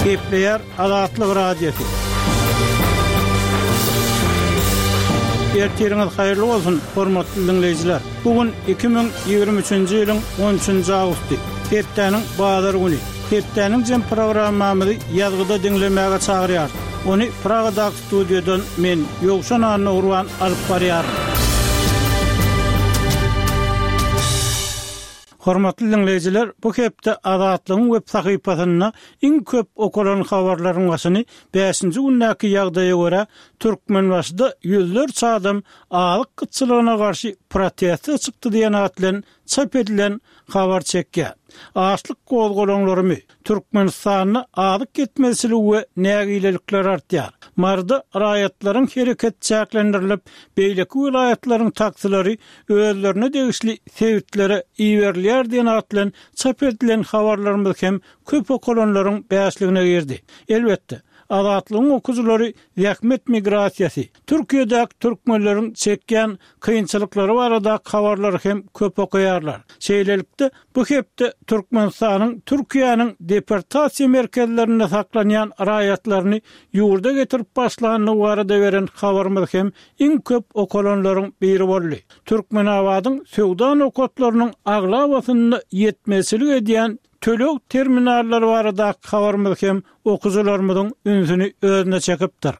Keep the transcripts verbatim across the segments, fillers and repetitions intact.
Gepleýär Azatlyk Radiosy. Ertiriňiz haýyrly bolsun, hormatly diňleýjiler. Bu gün iki müň ýigrimi üçünji ýylyň on üçünji awgusty, hepdäniň bazar güni. Hepdäniň jem programmamyzy ýazgyda diňlemäge çagyrýarys. Ony Pragadaky studiýadan men, Ýowşan Annagurban alyp barýaryn. Hormatly diňleýjiler, bu hepde Azatlygyň web sahypasynda iň köp okalan habarlaryň başyny bäşinji gündäki ýagdaýa görä, Türkmenbaşyda ýüzlerçe adam azyk gytçylygyna garşy proteste çykdy diýen at bilen çap edilen habar çekýär. Açlyk gozgalaňlarymy, Türkmenistanda azyk ýetmezçiligi we nägilelikler artýar. Maryda raýatlaryň hereket çäklendirilip, beýleki welaýatlaryň taksilary özlerine degişli sebitlere iberilýär diýen at bilen çap edilen habarlarymyz hem köp okalanlaryň bäşligine girdi. Elbetde, Azatlygyň okyjylary zähmet migrasiýasy, Türkiýedäki türkmenleriň çekýän kynçylyklary baradaky habarlary hem köp okaýarlar. Şeýlelikde, bu hepde Türkmenistanyň Türkiýäniň deportasiýa merkezlerinde saklanýan raýatlaryny ýurda getirip başlandygy barada beren habarymyz hem iň köp okalanlaryň biri boldy. Türkmenabadyň söwda nokatlarynyň aglabasynda ýetmezçilik edýän töleg terminallary baradaky habarymyz hem okyjylarymyzyň ünsüni özüne çekipdir.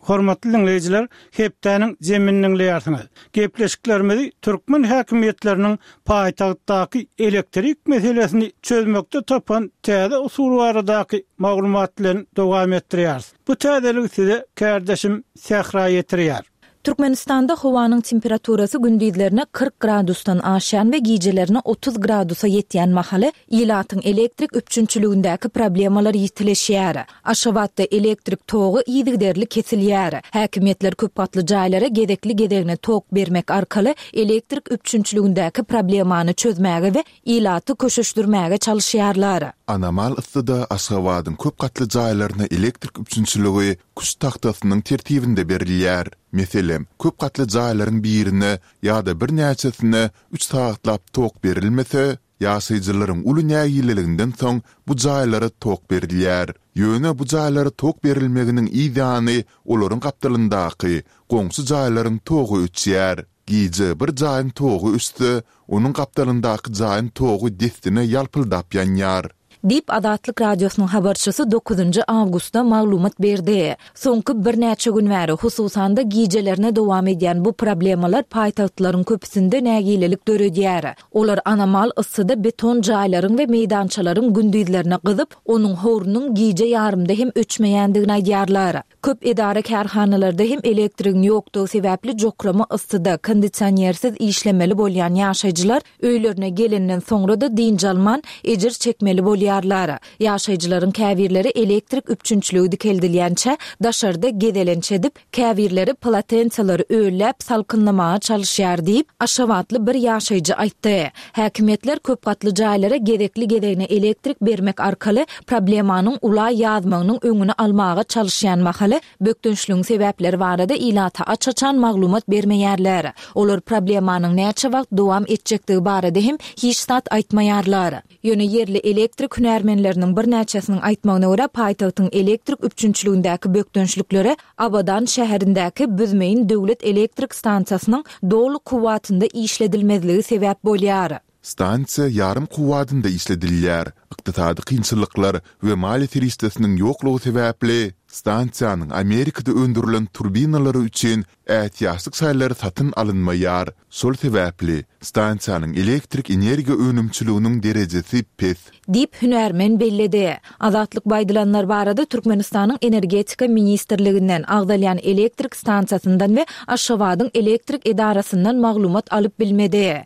Hormatly diňleýjiler, hepdäniň zemini diňleýärsiňiz. Gepleşiklerimizi türkmen häkimiýetleriniň paýtagtdaky elektrik meselesini çözmekde tapan täze usul baradaky maglumat bilen dowam etdirýäris. Bu täzeligi size kärdeşim Sähra ýetirýär. Türkmenistanda howanyň temperaturasy gündizlerine kyrk gradusdan aşýan we gijelerine otuz gradusa ýetýän mahaly ilatyň elektrik üpjünçiligindäki problemalar ýitileşýär. Aşgabatda elektrik togy yzygiderli kesilýär. Häkimiýetler köp gatly jaýlara gezekli-gezegine tok bermek arkaly elektrik üpjünçiligindäki problemany çözmäge we ilaty köşeşdirmäge çalyşýarlar. Anomal yssyda Aşgabadyň köp gatly jaýlaryna elektrik üpjünçiligi küşt tagtasynyň tertibinde berilýär. Meselem, köp gatly jaýlaryň birine ýa-da birnäçesine üç sagatlap tok berilmese, ýaşaýjylaryň uly nägileliginden soň bu jaýlara tok berilýär. Ýöne bu jaýlara tok berilmeginiň yz ýany olaryň gapdalyndaky goňşy jaýlaryň togy öçýär. Gije bir jaýyň togy öçse, onuň gapdalyndaky jaýyň togy dessine ýalpyldap ýanýar. Diýip, Azatlyk Radiosynyň habarçysy dokuzynjy awgustda maglumat berdi. Soňky birnäçe gün bäri, hususan-da, gijelerine dowam edýän bu problemalar paýtagtlaryň köpüsinde nägilelik döredýär. Olar anomal yssyda beton jaýlaryň we meýdançalaryň gündizlerine gyzyp, onuň howrunyň gije ýarymda hem öçmeýändigini aýdýarlar. Köp edara-kärhanalarda hem elektrigiň ýokdugy sebäpli jokrama yssyda, kondisionersiz işlemeli bolýan ýaşaýjylar öýlerine gelenden soňra-da dynç alman, ejir çekmeli bolýarlar. Ýaşaýjylaryň käbirleri elektrik üpjünçiligi dikeldilýänçä daşarda gezelenç edip, käbirleri polotensalary ölläp salkynlamaga çalyşýar diýip, aşgabatly bir ýaşaýjy aýtdy. Häkimiýetler köp gatly jaýlara gezekli-gezegine elektrik bermek arkaly problemanyň ula ýazmagynyň öňüni almaga çalyşýan mahaly, bökdençligiň sebäpleri barada ilata aç-açan maglumat bermeýärler. Olar problemanyň näçe wagt dowam etjekdigi barada hem hiç zat aýtmaýarlar. Ýöne ýerli elektrik hünärmenleriniň birnäçesiniň aýtmagyna görä, paýtagtyň elektrik üpjünçiligindäki bökdençliklere Abadan şäherindäki Büzmeýin döwlet elektrik stansiýasynyň doly kuwwatynda işledilmezligi sebäp bolýar. Stansiýa ýarym kuwwatynda işledilýär. Ykdysady kynçylyklar we maliýe serişdesiniň ýoklugy sebäpli, stansiýanyň Amerikada öndürilen turbinalary üçin ätiýaçlyk şaýlary satyn alynmaýar. Şol sebäpli, stansiýanyň elektrik energiýa önümçiliginiň derejesi pes. Diýip, hünärmen belledi. Azatlyk bu aýdylanlar barada Türkmenistanyň Energetika ministrliginden, agzalýan elektrik stansiýasyndan we Aşgabadyň elektrik edarasyndan maglumat alyp bilmedi.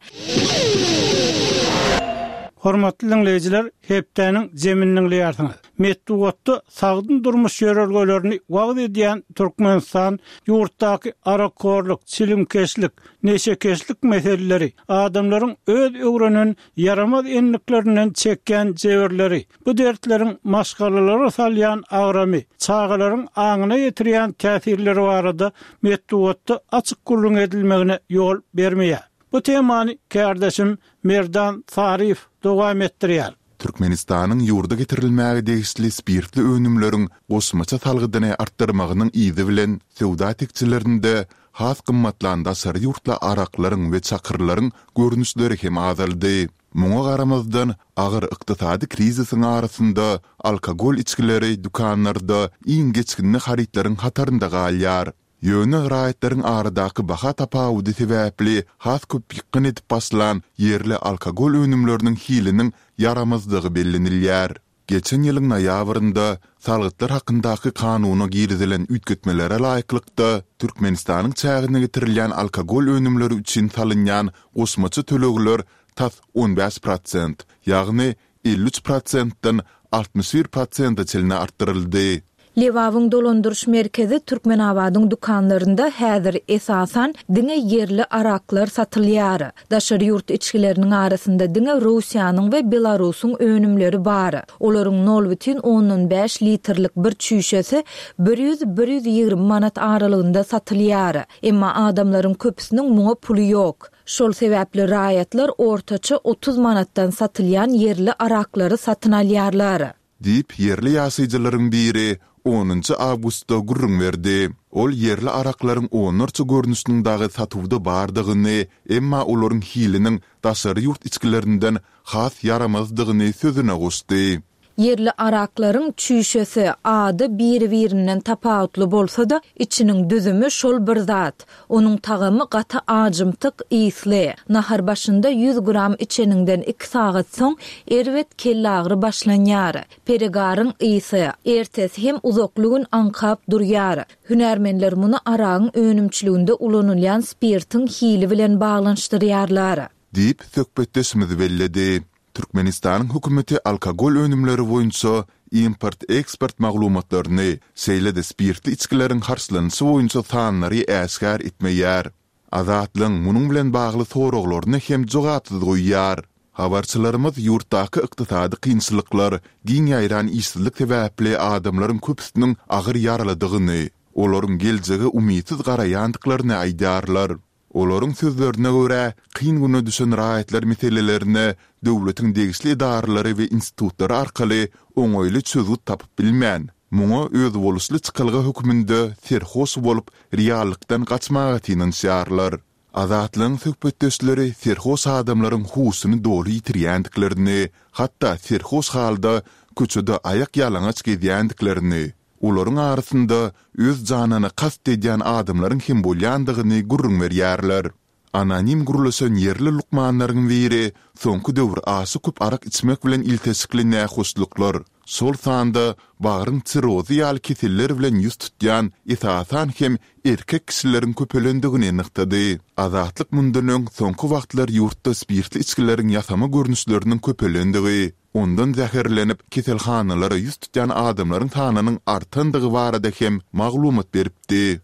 Hormatly diňleýjiler, hepdäniň jemini diňleýärsiňiz. Metbugatda sagdyn durmuş ýörelgelerini wagyz edýän Türkmenistan ýurtdaky arakhorluk, çilimkeşlik, neşekeşlik meseleleri, adamlaryň öz öwrenen ýaramaz endiklerinden çekýän jebirleri, bu dertleriň maşgalalara salýan agramy, çagalaryň aňyna ýetirýän täsirleri barada metbugatda açyk gürrüň edilmegine ýol bermeýär. Bu temany kärdeşim Merdan Saryýew dowam etdirýär. Türkmenistanyň ýurda getirilmäge degişli spirtli önümleriň goşmaça salgydyny artdyrmagynyň yzy bilen söwda tekjelerinde has gymmatlan daşary ýurtly araklaryň we çakyrlaryň görnüşleri hem azaldy. Muňa garamazdan, agyr ykdysady krizisiň arasynda alkogol içgileri dükanlarda iň geçginli harytlaryň hatarynda galýar. Ýöne raýatlaryň aradaky baha tapawudy sebäpli has köp ýykgyn edip başlan ýerli alkogol önümleriniň hiliniň ýaramazdygy bellenilýär. Geçen ýylyň noýabrynda Salgytlar hakyndaky kanuna girizilen üýtgetmelere laýyklykda, Türkmenistanyň çägine getirilýän alkogol önümleri üçin salynýan goşmaça tölegler tas on bäş prosent, ýagny elli üç prosentden altmyş bir prosente çenli artdyryldy. Lebabyň dolandyryş merkezi Türkmenabadyň dükanlarynda häzir esasan diňe ýerli araklar satylýar. Daşary ýurt içgileriniň arasynda diňe Russiýanyň we Belarusyň önümleri bar. Olaryň nol bütin ondan bäş litrlik bir çüýşesi bir ýüz, bir ýüz ýigrimi manat aralygynda satylýar. Emma adamlaryň köpüsiniň muňa puly ýok. Şol sebäpli raýatlar ortaça otuz manatdan satylýan ýerli araklary satyn alýarlar. Diýip, ýerli ýaşaýjylaryň biri onunjy awgustda gürrüň berdi. Ol ýerli araklaryň onlarça görnüşiniň dagy satuwda bardygyny, emma olaryň hiliniň daşary ýurt içgilerinden has ýaramazdygyny sözüne goşdy. Ýerli araklaryň çüýşesi, ady biri-birinden tapawutly bolsa-da, içiniň düzümi şol bir zat. Onuň tagamy gaty ajymtyk, ysly. Nahar başynda ýüz gram içeniňden iki sagat soň erbet kellagry başlanýar. Peregaryň ysy, ertesi hem uzakly gün aňkap durýar. Hünärmenler muny aragyň önümçiliginde ulanylýan spirtiň hili bilen baglanyşdyrýarlar. Diýip, söhbetdeşimiz belledi. Türkmenistanyň hökümeti alkogol önümleri boýunça import-eksport maglumatlaryny, şeýle-de spirtli içgileriň harçlanyşy boýunça sanlary äşgär etmeýär. Azatlygyň munuň bilen bagly soraglaryny hem jogapsyz goýýar. Habarçylarymyz ýurtdaky ykdysady kynçylyklar, giň ýaýran işsizlik sebäpli adamlaryň köpüsiniň agyr ýaralydygyny, olaryň geljege umytsyz garaýandyklaryny aýdýarlar. Olaryň sözlerine görä, kyn güne düşen raýatlar meselelerine döwletiň degişli edaralary we institutlary arkaly oňaýly çözgüt tapyp bilmän, muňa özboluşly çykalga hökmünde serhoş bolup, reallykdan gaçmaga synanyşýarlar. Azatlygyň söhbetdeşleri serhoş adamlaryň huşuny doly ýitirýändiklerini, hatda serhoş halda köçede aýak ýalaňaç gezýändiklerini, olaryň arasynda öz janyna kast edýän adamlaryň hem bolýandygyny gürrüň berýärler. Anonim gürleşen ýerli lukmanlaryň biri soňky döwür aşa köp arak içmek bilen ilteşikli nähoşluklar, şol sanda bagryň sirrozy ýaly keseller bilen ýüz tutýan esasan hem erkek kişileriň köpelendigini nygtady. Azatlyk mundan öň soňky wagtlar ýurtda spirtli içgileriň ýasama görnüşleriniň köpelendigi, ondan zäherlenip keselhanalara ýüz tutýan adamlaryň sanynyň artandygy barada hem maglumat beripdi.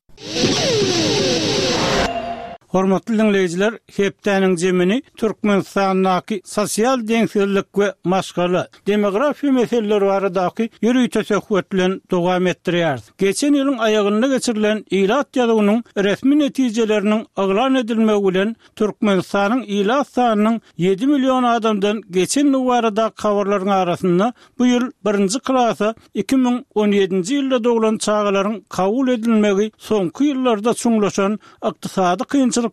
Hormatly diňleýjiler, hepdäniň jemini Türkmenistandaky sosial deňsizlik we maşgala, demografiýa meseleleri baradaky ýörite söhbet bilen dowam etdirýäris. Geçen ýylyň aýagynda geçirilen ilat ýazuwynyň resmi netijeleriniň yglan edilmegi bilen Türkmenistanyň ilat sanynyň ýedi million adamdan geçendigi baradaky habarlaryň arasynda bu ýyl birinji klasa iki müň on ýedinji ýylda doglan çagalaryň kabul edilmegi soňky ýyllarda çuňlaşan ykdysady kynçylyklaryň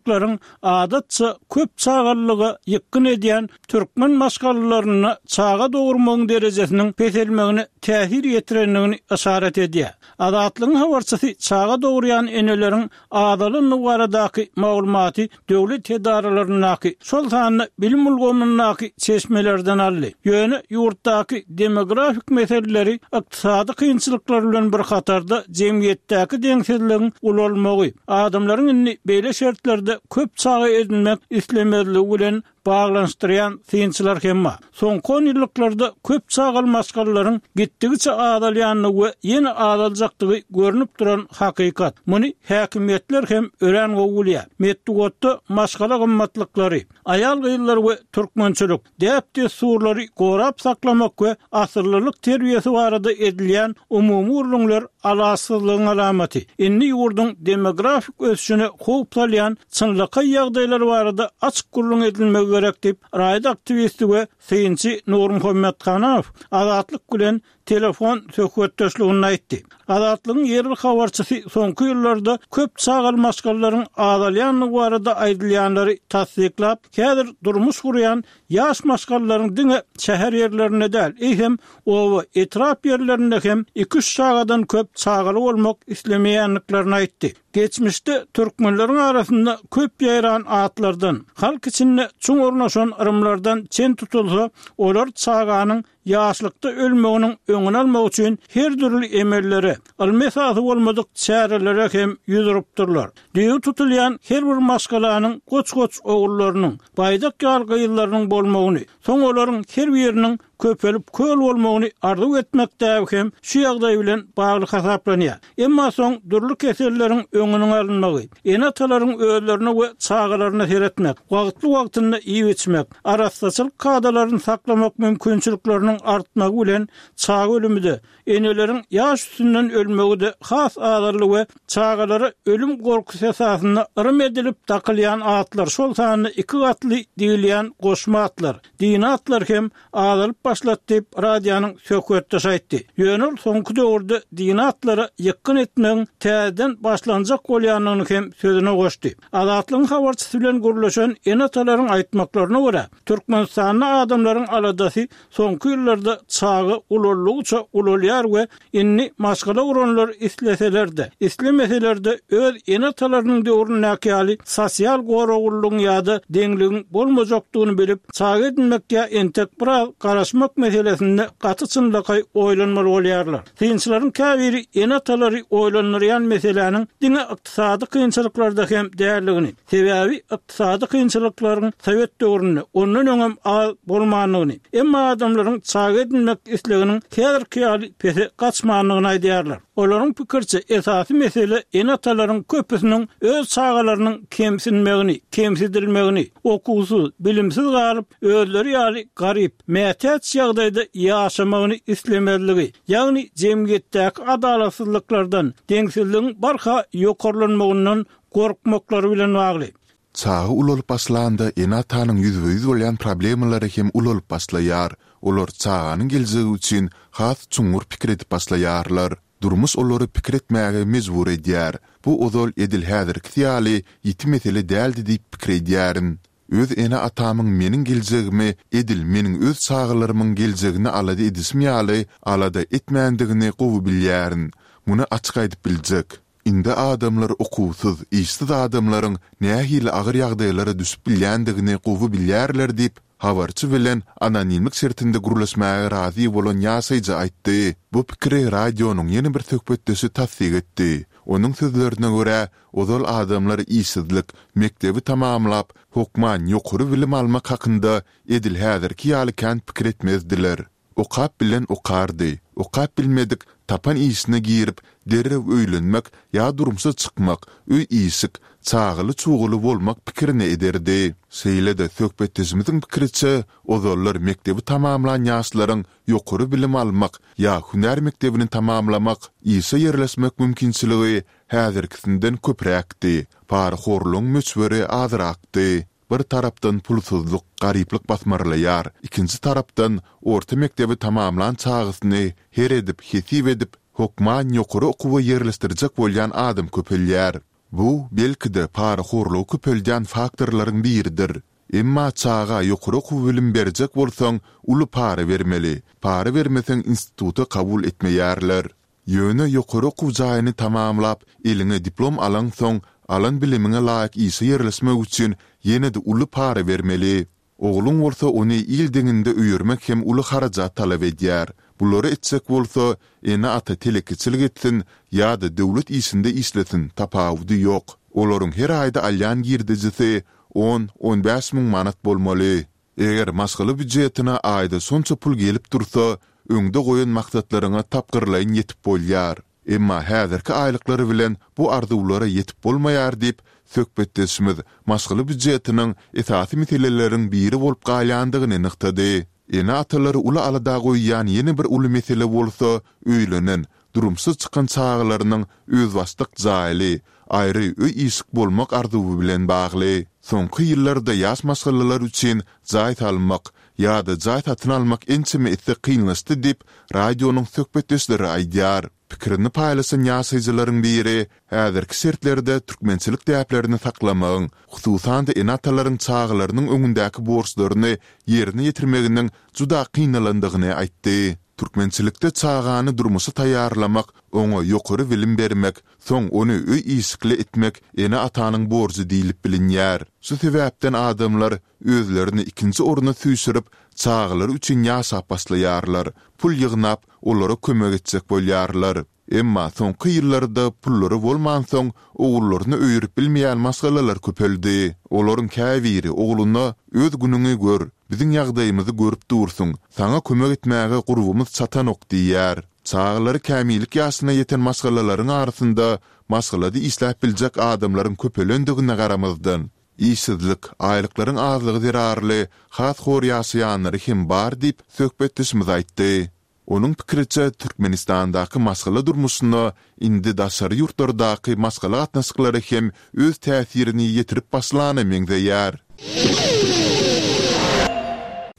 adatça köp çagalyga ýykgyn edýän türkmen maşgalalaryna çaga dogurmagyň derejesiniň peselmegine täsir ýetirendigini yşarat edýär. Azatlygyň habarçysy çaga dogurýan eneleriň azalandygy baradaky maglumaty döwlet edaralaryndaky, şol sanda bilim ulgamyndaky çeşmelerden aldy. Ýöne ýurtdaky demografik meseleleri ykdysady kynçylyklar bilen bir hatarda jemgyýetdäki deňsizligiň ulalmagy, adamlaryň indi beýle şertlerde köp çaga edinmek islemezligi bilen baglanyşdyrýan synçylar hem bar. Soňky on ýyllyklarda köp çagaly maşgalalaryň gitdigiçe azalýandygy we ýene azaljakdygy görnüp duran hakykat. Muny häkimiýetler hem örän gowy bilýär. Metbugatda maşgala gymmatlyklary, aýal-gyzlar we türkmençilik, däp-dessurlary gorap saklamak we asyllylyk terbiýesi barada edilýän umumy gürrüňler alaçsyzlygyň alamaty. Indi ýurduň demografik ösüşine howp salýan çynlakaý ýagdaýlar barada açyk gürrüň edilmegi gerek diýip, raýat aktiwisti we synçy Nurmuhammet Hanow Azatlyk bilen telefon söhbetdeşliginde aýtdy. Azatlygyň ýerli habarçysy soňky ýyllarda köp çagaly maşgalalaryň azalýandygy barada aýdylýanlary tassyklap, häzir durmuş gurýan ýaş maşgalalaryň diňe şäher ýerlerinde däl, eýsem oba, etrap ýerlerinde hem iki-üç çagadan köp çagaly bolmak islemeýändiklerini aýtdy. Geçmişde türkmenleriň arasynda köp ýaýran atlardan, halk içinde çuň ornaşan yrymlardan çen tutulsa, olar çaganyň ýaşlykda ölmeginiň öňüni almak üçin her dürli emellere, ylmy esasy bolmadyk çärelere hem ýüz urupdyrlar. Düýbi tutulýan her bir maşgalanyň goç-goç ogullarynyň, baýdak ýaly gyzlarynyň bolmagyny, soň olaryň her biriniň köpelip köl bolmagyny arzuw etmek däbi hem şu ýagdaý bilen bagly hasaplanýar. Emma soň dürli keselleriň öňüniň alynmagy, ene-atalaryň özlerine we çagalaryna seretmek, wagtly-wagtynda iýip-içmek, arassaçylyk kadalaryny saklamak mümkinçilikleriniň artmagy bilen çaga ölümi-de, eneleriň ýaş üstünden ölmegi-de has azaldy we çagalara ölüm gorkusy esasynda yrym edilip dakylýan atlar, şol sanda iki gatly diýilýän goşma atlar, dini atlar hem azalyp başlady diýip, radionyň söhbetdeşi aýtdy. Ýöne ol soňky döwürde dini atlara ýykgyn etmegiň täzeden başlanjak bolýandygyny hem sözüne goşdy. Azatlygyň habarçysy bilen gürleşen ene-atalaryň aýtmaklaryna görä, Türkmenistanda adamlaryň aladasy soňky ýyllarda çaga ulaldygyça ulalýar we indi maşgala guranlar isleseler-de, islemeseler-de öz ene-atalarynyň döwründäki ýaly sosial goraglylygyň ýa-da deňligiň bolmajakdygyny bilip, çaga edinmek ýa entek biraz garaşmak meselesinde gaty çynlakaý oýlanmaly bolýarlar. Synçylaryň käbiri ene-atalary oýlandyrýan meseläniň diňe ykdysady kynçylyklarda hem däldigini, sebäbi ykdysady kynçylyklaryň sowet döwründe ondan öňem az bolmandygyny, emma adamlaryň çaga edinmek isleginiň häzirki ýaly pese gaçmandygyny aýdýarlar. Olaryň pikiriçe, esasy mesele ene-atalaryň köpüsiniň öz çagalarynyň kemsinmegini, kemsidilmegini, okuwsyz, bilimsiz galyp, özleri ýaly garyp, mätäç ýagdaýda ýaşamagyny islemezligi, ýagny jemgyýetdäki adalatsyzlyklardan, deňsizligiň barha ýokarlanmagyndan gorkmaklary bilen bagly. Çaga ulalyp başlanda ene-atanyň ýüzbe-ýüz bolýan problemalary hem ulalyp başlaýar. Olar çaganyň geljegi üçin has çuňňur pikir edip başlaýarlar. Durmuş olary pikir etmäge mejbur edýär. Bu ozal edil häzirkisi ýaly ýiti mesele däldi diýip pikir edýärin. Öz ene-atamyň meniň geljegimi edil meniň öz çagalarymyň geljegini alada edişim ýaly alada etmändigini gowy bilýärin. Muny açyk aýdyp biljek. Indi adamlar okuwsyz, işsiz adamlaryň nähili agyr ýagdaýlara düşüp bilýändigini gowy bilýärler diýip, habarçy bilen anonimlik şertinde gürleşmäge razy bolan ýaşaýjy aýtdy. Bu pikiri radionyň ýene bir söhbetdeşi tassyk etdi. Onuň sözlerine görä, ozal adamlar işsizlik, mekdebi tamamlap, hökman ýokary bilim almak hakynda edil häzirki ýaly kän pikir etmezdiler. Okap bilen okardy, okap bilmedik tapan işine girip, derrew öýlenmek ýa durmuşa çykmak, öý-işik, çagaly-çugaly bolmak pikirini ederdi. Şeýle-de söhbetdeşimiziň pikiriçe, ozallar mekdebi tamamlan ýaşlaryň ýokary bilim almak ýa hünär mekdebini tamamlamak, işe ýerleşmek mümkinçiligi häzirkisinden köpräkdi, parahorlugyň möçberi azrakdy. Bir tarapdan pulsuzlyk, garyplyk basmarlaýar, ikinji tarapdan orta mekdebi tamamlan çagasyny her edip, hesip edip, hökman ýokary okuwa ýerleşdirjek bolýan adam köpelýär. Bu, belki-de, parahorlugy köpeldýän faktorlaryň biridir. Emma çaga ýokary okuw bilim berjek bolsaň, uly para bermeli. Para bermeseň instituta kabul etmeýärler. Ýöne ýokary okuw jaýyny tamamlap, eliňe diplom alaňsoň, alan bilimiňe laýyk işe ýerleşmek üçin ýene-de uly para bermeli. Ogluň bolsa ony il deňinde öýermek hem uly harajat talap edýär. Bulary etjek bolsa, ene-ata telekeçilik etsin ýa-da döwlet işinde işlesin, tapawudy ýok. Olaryň her aýda alýan girdejisi on, on bäş müň manat bolmaly. Eger maşgala býujetine aýda şonça pul gelip dursa, öňde goýan maksatlaryňa tapgyrlaýyn ýetip bolýar. Emma häzirki aýlyklar bilen bu arzuwlara ýetip bolmaýar diýip, söhbetdeşimiz maşgala býujetiniň esasy meseleleriň biri bolup galýandygyny nygtady. Ene-atalary uly alada goýýan ýene bir uly mesele bolsa öýlenen, durmuşa çykan çagalarynyň özbaşdak jaýly, aýry öý-işik bolmak arzuwy bilen bagly. Soňky ýyllarda ýaş maşgalalar üçin jaý salmak ýa-da jaý satyn almak ençeme esse kynlaşdy diýip, radionyň söhbetdeşleri aýdýar. Pikirini paýlaşan ýaşaýjylaryň biri häzirki şertlerde türkmençilik däplerini saklamagyň, hususan-da ene-atalaryň çagalarynyň öňündäki borçlaryny ýerine ýetirmeginiň juda kynalandygyny aýtdy. Türkmençilikde çagany durmuşa taýýarlamak, oňa ýokary bilim bermek, soň ony öý-işikli etmek ene-atanyň borjy diýlip bilinýär. Şu sebäpden adamlar özlerini ikinji orna süýşürip, çagalary üçin ýaşap başlaýarlar, pul ýygnap, olara kömek etjek bolýarlar. Emma soňky ýyllarda pullary bolmansoň, ogullaryny öýerip bilmeýän maşgalalar köpeldi. Olaryň käbiri ogluna Öz günüňi gör, biziň ýagdaýymyzy görüp dursuň, saňa kömek etmäge gurbumyz çatanok diýýär. Çagalary kämillik ýaşyna ýeten maşgalalaryň arasynda maşgalada işläp biljek adamlaryň köpelendigine garamazdan, işsizlik, aýlyklaryň azlygy zerarly has hor ýaşaýanlary hem bar diýip, söhbetdeşimiz aýtdy. Onuň pikiriçe, Türkmenistandaky maşgala durmuşyna indi daşary ýurtlardaky maşgala gatnaşyklary hem öz täsirini ýetirip başlana meňzeýär.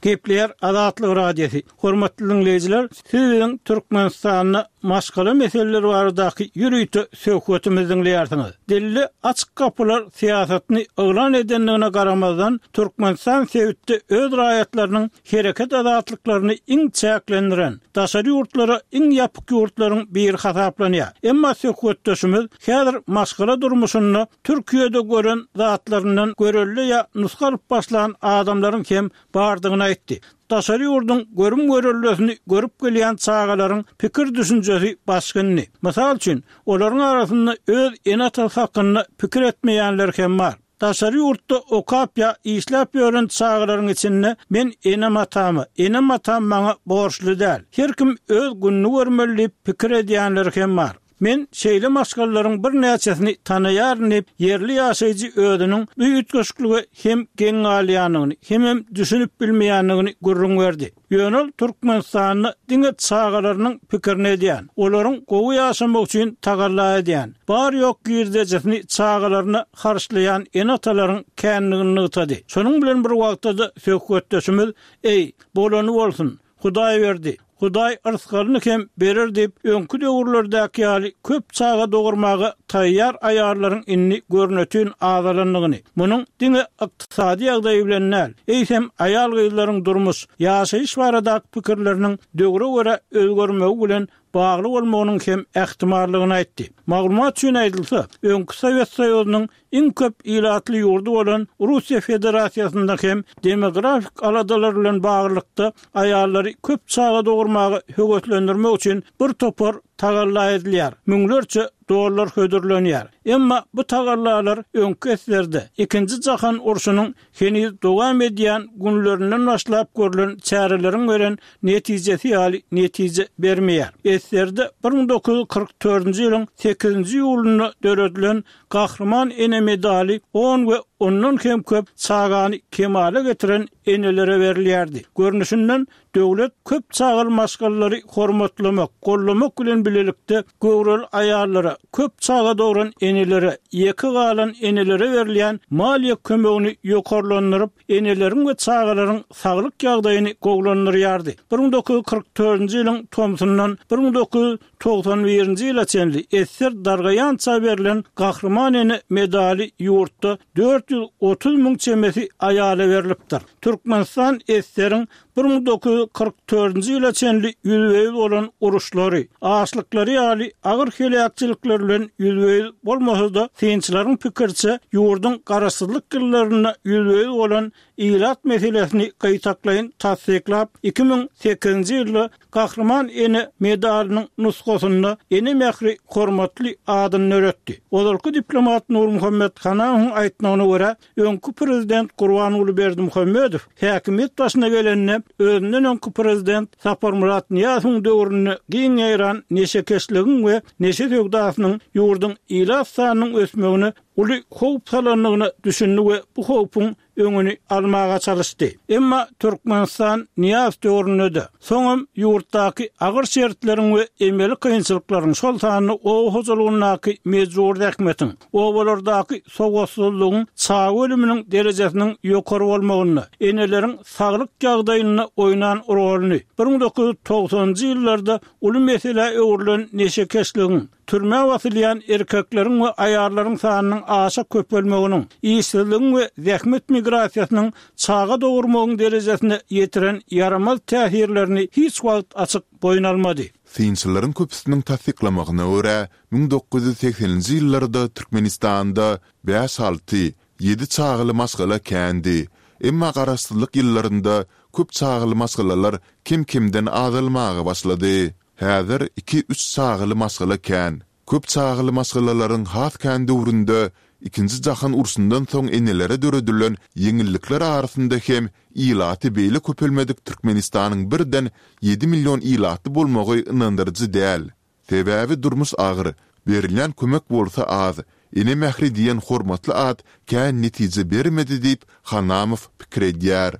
Gepleýär Azatlyk Radiosy. Hormatly diňleýjiler, siz biziň Türkmenistanda maşgala meseleleri baradaky ýörite söhbetimizi diňleýärsiňiz. Dilli açyk gapylar syýasatyny yglan edendigine garamazdan, Türkmenistan sebitde öz raýatlarynyň hereket azatlyklaryny iň çäklendiren, daşary ýurtlara iň ýapyk ýurtlaryň biri hasaplanýar. Emma söhbetdeşimiz häzir maşgala durmuşynda Türkiýede gören zatlaryndan görelde ýa nusga alyp başlan adamlaryň hem bardygyny aýtdy. Daşary ýurduň görüm-göreldesini görüp gelýän çagalaryň pikir-düşünjesi başga indi. Mysal üçin, olaryň arasynda öz ene-atasy hakynda pikir etmeýänler hem bar. Daşary ýurtda okap ýa işläp ýören çagalaryň içinde men enem-atama, enem-atam maňa borçly däl, her kim öz gününi görmeli diýip pikir edýänleri hem bar. Men şeýle maşgalalaryň birnäçesini tanaýaryn diýip, ýerli ýaşaýjy özüniň bu üýtgeşiklige hem geň galýanyny, hemem düşünip bilmeýändigini gürrüň berdi. Ýöne ol Türkmenistanda diňe çagalarynyň pikirini edýän, olaryň gowy ýaşamagy üçin tagalla edýän, bar-ýok girdejisini çagalaryna harçlaýan ene-atalaryň kändigini nygtady. Şonuň bilen bir wagtda-da söhbetdeşimiz, Eý, bolany bolsun, Hudaý berdi, Hudaý yrsgalyny hem berer diýip, öňki döwürlerdäki ýaly köp çaga dogurmaga taýýar aýallaryň indi görnetin azalandygyny, munuň diňe ykdysady ýagdaý bilen däl, eýsem, aýal-gyzlaryň durmuş, ýaşaýyş baradaky pikirleriniň döwre görä özgermegi bilen bagly bolmagynyň hem ähtimallygyny aýtdy. Maglumat üçin aýdylsa, öňki Sowet Soýuzynyň iň köp ilatly ýurdy bolan Russiýa Federasiýasynda hem demografik aladalar bilen baglylykda aýallary köp çaga dogurmaga höweslendirmek üçin bir topar tagalla edilýär, müňlerçe dollar hödürlenýär. Emma bu tagallalar öňki eserde, Ikinji jahan urşunyň heniz dowam edýän günlerinden başlap görlen çäreleriň beren netijesi ýaly netije bermeýär. Eserde bir müň dokuz ýüz kyrk dördünji ýylyň sekizinji iýulynda döredilen Gahryman ene medaly on we ondan hem köp çagany kemala getiren enelere berilýärdi. Görnüşinden, döwlet köp çagaly maşgalalary hormatlamak, goldamak bilen bilelikde göwreli aýallara, köp çaga dogran enelere, ýeke galan enelere berilýän maliýe kömegini ýokarlandyryp, eneleriň we çagalaryň saglyk ýagdaýyny gowulandyrýardy. Bir müň dokuz ýüz kyrk dördünji ýylyň tomsundan bir müň dokuz ýüz togsan birinji ýyla çenli esger dargaýança berlen Gahryman ene medaly ýurtda dört ýüz otuz müň çemesi aýala berlipdir. Türkmenistan esgeriň bir müň dokuz ýüz kyrk dördünji ýyla çenli ýüzbe-ýüz bolan uruşlary, açlyklary ýaly agyr heläkçilikler bilen ýüzbe-ýüz bolmasa-da, synçylaryň pikiriçe, ýurduň garaşsyzlyk ýyllarynda ýüzbe-ýüz bolan ilat meselesini gytaklaýyn tassyklap, iki müň sekizinji ýylda Gahryman ene medalynyň nusgasynda Ene mähri hormatly adyny döretdi. Ozalky diplomat Nurmuhammet Hanamowyň aýtmagyna görä, öňki prezident Gurbanguly Berdimuhamedow häkimiýet başyna gelende, özünden öňki prezident Saparmyrat Nyýazowyň döwründe giň ýaýran neşekeşligiň we neşe söwdasynyň ýurduň ilat sanynyň ösmegine uly howp salandygyna düşündi we bu howpuň öňüni almaga çalyşdy. Emma Türkmenistan Nyýazow döwründe-de, soňam ýurtdaky agyr şertleriň we emeli kynçylyklaryň, şol sanda oba hojalygyndaky mejbury zähmetiň, obalardaky sowatsyzlygyň çaga ölüminiň derejesiniň ýokary bolmagynda, eneleriň saglyk ýagdaýynda oýnan roluny, bir müň dokuz ýüz togsanynjy ýyllarda uly meselä öwrülen neşekeşligiň, türmä basylýan erkekleriň we aýallaryň sanynyň aşa köpelmeginiň, işsizligiň we zähmet migrasiýasynyň çaga dogurmagyň derejesine ýetiren ýaramaz täsirlerini hiç wagt açyk boýun almady. Synçylaryň köpüsiniň tassyklamagyna görä, müň dokuz ýüz segseninji ýyllarda Türkmenistanda bäş-alty, ýedi çagaly maşgala kändi. Emma garaşsyzlyk ýyllarynda köp çagaly maşgalalar kem-kemden azalmaga başlady. Häzir iki-üç çagaly maşgala kän. Köp çagaly maşgalalaryň has kän döwründe Ikinji jahan urşundan soň enelere döredilen ýeňillikler arasynda hem ilaty beýle köpelmedik Türkmenistanyň birden ýedi million ilatly bolmagy ynandyryjy däl. Sebäbi durmuş agyr, berilýän kömek bolsa az, ene mähri diýen hormatly at kän netije bermedi diýip, Hanamow pikir edýär.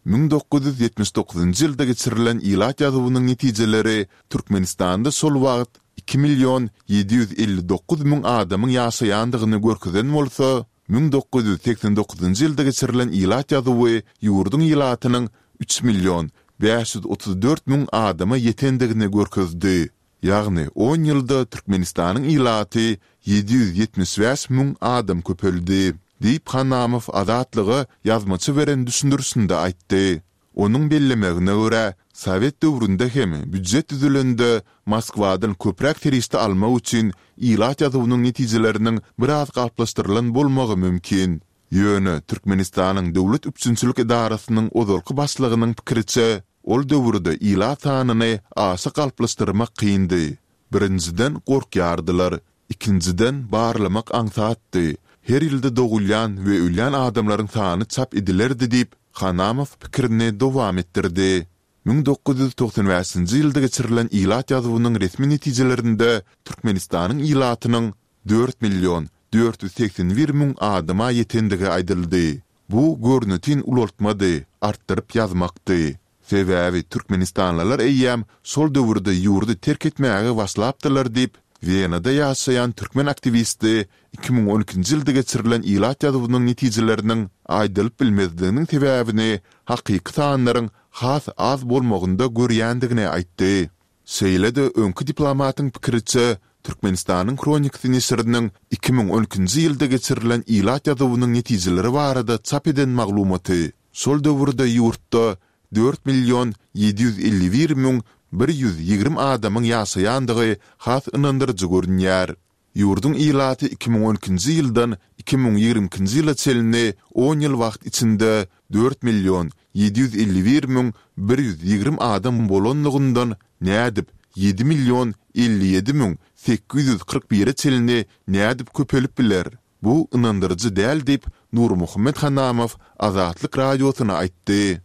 Müň dokuz ýüz ýetmiş dokuzynjy ýylda geçirilen ilat ýazuwynyň netijeleri Türkmenistanda şol wagt iki million ýedi ýüz elli dokuz müň adamyň ýaşaýandygyny görkezen bolsa, müň dokuz ýüz segsen dokuzynjy ýylda geçirilen ilat ýazuwy ýurduň ilatynyň üç million bäş ýüz otuz dört müň adama ýetendigini görkezdi. Ýagny on ýylda Türkmenistanyň ilaty ýedi ýüz ýetmiş bäş müň adam köpeldi, diýip Hanamow Azatlyga ýazmaça beren düşündirişinde aýtdy. Onuň bellemegine görä, sowet döwründe hem býujet düzülende Moskwadan köpräk serişde almak üçin ilat ýazuwynyň netijeleriniň biraz galplaşdyrylan bolmagy mümkin. Ýöne Türkmenistanyň döwlet üpjünçilik edarasynyň ozalky başlygynyň pikiriçe, ol döwürde ilat sanyny aşa galplaşdyrmak kyndy. Birinjiden, gorkýardylar. Ikinjiden, barlamak aňsatdy. Her ýylda dogulýan we ölýän adamlaryň sany çap edilerdi diýip, Hanamow pikirini dowam etdirdi. Müň dokuz ýüz togsan bäşinji ýylda geçirilen ilat ýazuwynyň resmi netijelerinde Türkmenistanyň ilatynyň dört million dört ýüz segsen bir müň adama ýetendigi aýdyldy. Bu görnetin ulaltmady, artdyryp ýazmakdy. Sebäbi türkmenistanlylar eýýäm şol döwürde ýurdy terk etmäge başlapdylar diýip, Wenada ýaşaýan türkmen aktiwisti iki müň on ikinji ýylda geçirilen ilat ýazuwynyň netijeleriniň aýdylyp bilmezliginiň sebäbini hakyky sanlaryň has az bolmagynda görýändigini aýtdy. Şeýle-de öňki diplomatyň pikiriçe, Türkmenistanyň Hronikasy neşiriniň iki müň on ikinji ýylda geçirilen ilat ýazuwynyň netijeleri barada çap eden maglumaty şol döwürde ýurtda dört million ýedi ýüz elli bir müň bir ýüz ýigrimi adamyň ýaşaýandygy has ynandyryjy görünýär. Ýurduň ilaty iki müň on ikinji ýyldan iki müň ýigrimi ikinji ýyla çenli on ýyl wagt içinde dört million ýedi ýüz elli bir müň bir ýüz ýigrimi adam bolanlygyndan nädip ýedi million elli ýedi müň sekiz ýüz kyrk bire çenli nädip köpelip biler? Bu ynandyryjy däl diýip, Nurmuhammet Hanamow Azatlyk Radiosyna aýtdy.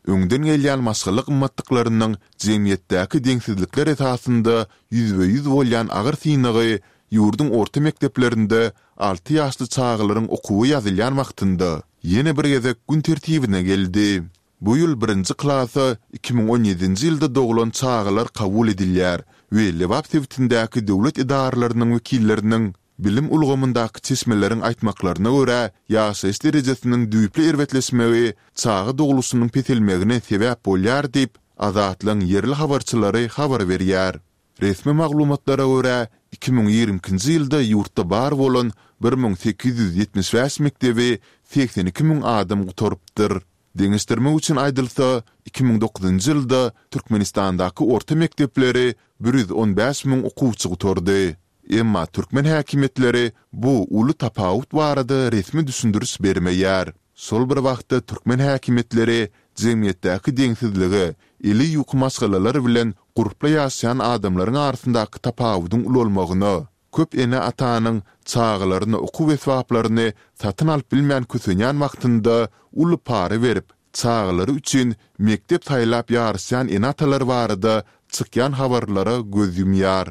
Öňden gelýän maşgala gymmatlyklarynyň jemgyýetdäki deňsizlikler esasynda ýüzbe-ýüz bolýan agyr synagy ýurduň orta mekdeplerinde alty ýaşly çagalaryň okuwa ýazylýan wagtynda ýene bir gezek gün tertibine geldi. Bu ýyl birinji klasa iki müň on ýedinji ýylda doglan çagalar kabul edilýär we Lebap sebitindäki döwlet edaralarynyň wekilleriniň Bilim ulgamyndaky çeşmeleriň aýtmaklaryna görä, ýaşaýyş derejesiniň düýpli erbetleşmegi çaga dogluşynyň peselmegine sebäp bolýar diýip, Azatlygyň ýerli habarçylary habar berýär. Resmi maglumatlara görä, iki müň ýigrimi ikinji ýylda ýurtda bar bolan bir müň sekiz ýüz ýetmiş bäş mekdebi segsen iki müň adam gutarypdyr. Deňeşdirmek üçin aýdylsa, iki müň dokuzynjy ýylda Türkmenistandaky orta mekdepleri bir ýüz on bäş müň okuwçy gutardy. Emma türkmen häkimiýetleri bu uly tapawut barada resmi düşündiriş bermeýär. Şol bir wagtda türkmen häkimiýetleri jemgyýetdäki deňsizlige, eli ýuka maşgalalar bilen gurply ýaşaýan adamlaryň arasyndaky tapawudyň ulalmagyna, köp ene-atanyň çagalaryna okuw esbaplaryny satyn alyp bilmän kösenýän wagtynda uly para berip, çagalary üçin mekdep saýlap ýaryşýan ene-atalar barada çykýan habarlara göz ýumýar.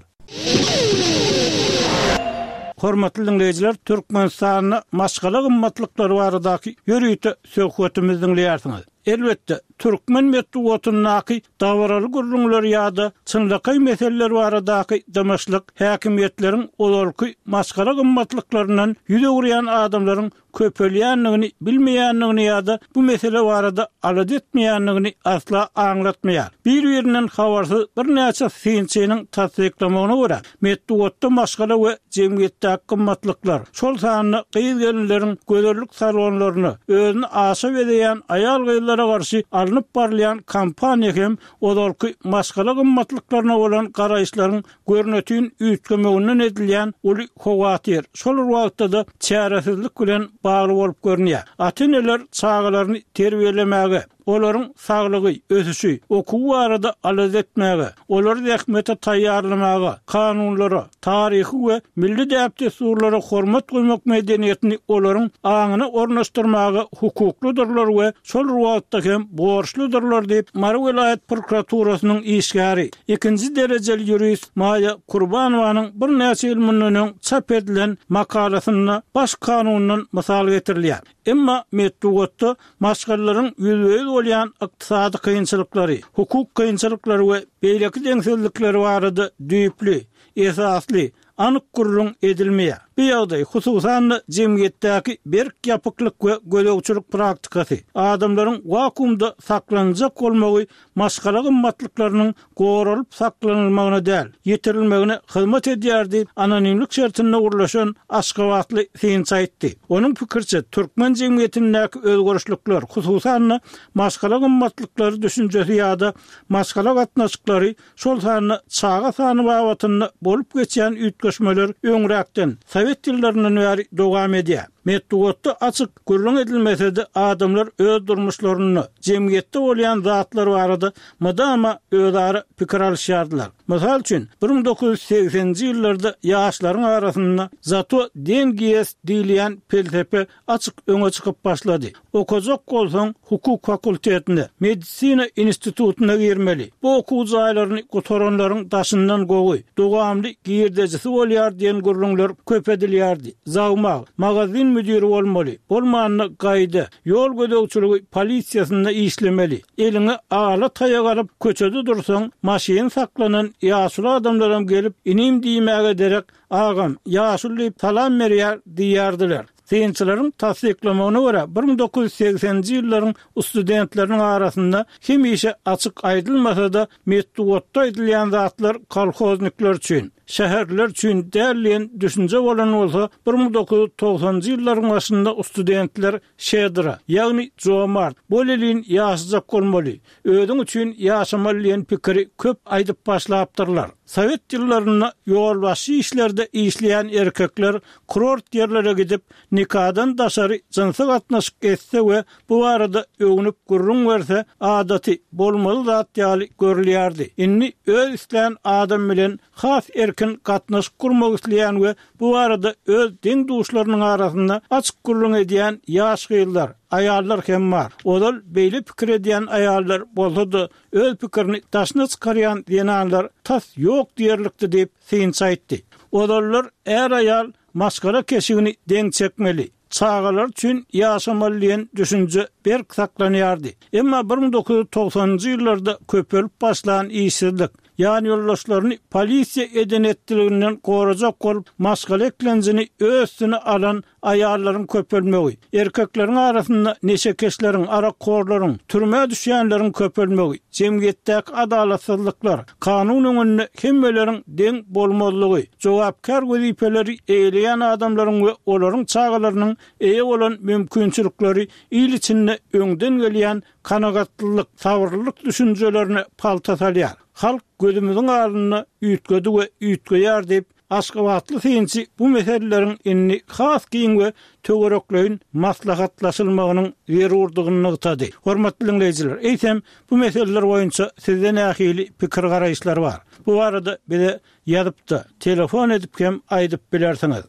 Hormatly diňleýjiler, Türkmenistanda maşgala gymmatlyklary baradaky ýörite söhbetimizi diňleýärsiňiz. Elbetde, türkmen metbugatyndaky dabaraly gürrüňler ýa-da çynlakaý meseleler baradaky dymyşlyk häkimiýetleriň ozalky maşgala gymmatlyklaryndan ýüz öwürýän adamlaryň köpelýändigini bilmeýändigini ýa-da bu mesele barada alada etmeýändigini asla aňlatmaýar. Bir-birinden habarsyz birnäçe synçynyň tassyklamagyna görä, metbugatda maşgala we jemgyýetdäki gymmatlyklar, şol sanda gyz-gelinleriň gözellik salonlaryna, özüni aşa bezeýän aýal-gyzlara garşy alnyp barylýan kampaniýa hem ozalky maşgala gymmatlyklaryna bolan garaýyşlaryň görnetin üýtgemeginden edilýän uly howatyr, şol bir wagtda-da çäresizlik bilen bagly bolup görünýär. Ata-eneler çagalaryny terbiýelemäge, olaryň saglygy, ösüşi, okuwy barada alada etmäge, olary zähmete taýýarlamaga, kanunlara, taryhy we milli däp-dessurlara hormat goýmak medeniýetini olaryň aňyna ornaşdyrmaga hukuklydyrlar we şol bir wagtda hem borçludyrlar diýip, Mary welaýat prokuraturasynyň işgäri, ikinji derejeli ýurist Maýa Kurbanowanyň birnäçe ýyl mundan öň çap edilen makalasynda Baş kanundan mysal getirilýär. Emma metbugatda maşgalalaryň ýüzbe-ýüz bolýan ykdysady kynçylyklary, hukuk kynçylyklary we beýleki deňsizlikleri barada düýpli, esasly, anyk gürrüň edilmeýär. Bu ýagdaý, hususan-da, jemgyýetdäki berk ýapyklyk we gözegçilik praktikasy, adamlaryň wakuumda saklanjak bolmagy maşgala gymmatlyklarynyň goralyp saklanylmagyna däl, ýitirilmegine hyzmat edýär diýip, anonimlik şertinde gürleşen aşgabatly synçy aýtdy. Onuň pikiriçe, türkmen jemgyýetindäki özgerişlikler, hususan-da, maşgala gymmatlyklary düşünjesi ýa-da maşgala gatnaşyklary, şol sanda çaga sany babatynda bolup geçýän üýtgeşmeler öňräkden, sowet ýyllaryndan bäri dowam edýär. Metbugatda açyk gürrüň edilmese-de, adamlar öz durmuşlarynda, jemgyýetde bolýan zatlar barada mydama özara pikir alyşýardylar. Mysal üçin, bir müň dokuz ýüz segseninji ýyllarda ýaşlaryň arasynda Zato dengi ýest diýilýän pelsepe açyk öňe çykyp başlady. Okajak bolsaň, hukuk fakultetine, medisina institutyna girmeli. Bu okuw jaýlaryny gutaranlaryň daşyndan gowy, dowamly girdejisi bolýar diýen gürrüňler köp edilýärdi. Zawmag, magazin müdiri bolmaly, bolmanda gaýda, ýol gözegçiligi polisiýasynda işlemeli. Eliňe ala taýak alyp, köçede dursaň, maşyn saklanan ýaşuly adamlaram gelip, inim diýmäge derek, Agam, ýaşuly diýip salam berýär diýýärdiler. Synçylaryň tassyklamagyna görä, bir müň dokuz ýüz segseninji ýyllaryň studentleriniň arasynda hemişe açyk aýdylmasa-da, metbugatda aýdylýan zatlar kolhoznikler üçin, şäherliler üçin däl diýen düşünje bolan bolsa, bir müň dokuz ýüz togsanynjy ýyllaryň başynda studentler şedra, ýagny jomart, bolelin ýaşajak bolmaly, özüň üçin ýaşamaly diýen pikiri köp aýdyp başlapdyrlar. Sowet ýyllarynda ýolbaşçy işlerde işleýän erkekler kurort ýerlere gidip, nikadan daşary jynsy gatnaşyk etse we bu barada öwnüp gürrüň berse, adaty, bolmaly zat ýaly görülýärdi. Indi öz islän adam bilen has erkin gatnaşyk gurmak isleýän we bu barada öz deň-duşlarynyň arasynda açyk gürrüň edýän ýaş gyzlar, aýallar hem bar. Ozal beýle pikir edýän aýallar bolsa-da, öz pikirini daşyna çykarýan zenanlar tas ýok diýerlikdi diýip, synçy aýtdy. Ozallar är-aýal maşgala keşigini deň çekmeli, çagalar üçin ýaşamaly diýen düşünje berk saklanýardy. Emma bir müň dokuz ýüz togsanynjy ýyllarda köpelip başlan işsizlik, ýanýoldaşlaryny polisiýa eden-etdiliginden gorajak bolup maşgala eklenjini öz üstüne alan aýallaryň köpelmegi, erkekleriň arasynda neşekeşleriň, arakhorlaryň, türmä düşýänleriň köpelmegi, jemgyýetdäki adalatsyzlyklar, kanun öňünde hemmeleriň deň bolmazlygy, jogapkär wezipeleri eýeleýän adamlaryň we olaryň çagalarynyň eýe bolan mümkinçilikleri il içinde öňden gelýän kanagatlylyk, sabyrlylyk düşünjelerine palta salýar. Halk gözümiziň alnynda üýtgedi we üýtgeýär diýip, aşgabatly synçy bu meseleleriň indi has giň we töwerekleýin maslahatlaşylmagynyň zerurdygyny nygtady. Hormatly diňleýjiler, eýsem, bu meseleler boýunça sizde nähili pikir-garaýyşlar bar? Bu barada bize Ýazyp-da, telefon edip hem aýdyp bilersiňiz.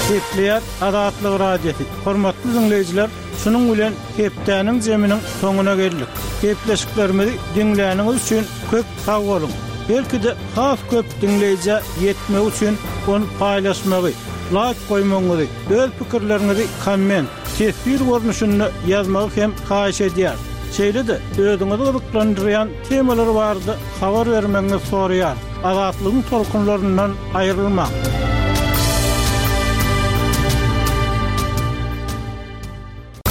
Gepleýär Azatlyk Radiosy. Hormatly diňleýjiler, şunuň bilen hepdäniň zeminiň soňuna geldik. Gepleşiklerimizi diňläniňiz üçin köp sag boluň! Belki-de has köp diňleýjä ýetmegi üçin ony paýlaşmagy, laýk goýmagyňyzy, öz pikirleriňizi komment, teswir görnüşinde ýazmagy hem haýyş edýäris. Şeýle-de özüňizi gyzyklandyrýan temalar barada habar bermegiňizi soraýarys. Azatlygyň tolkunlaryndan aýrylmaň!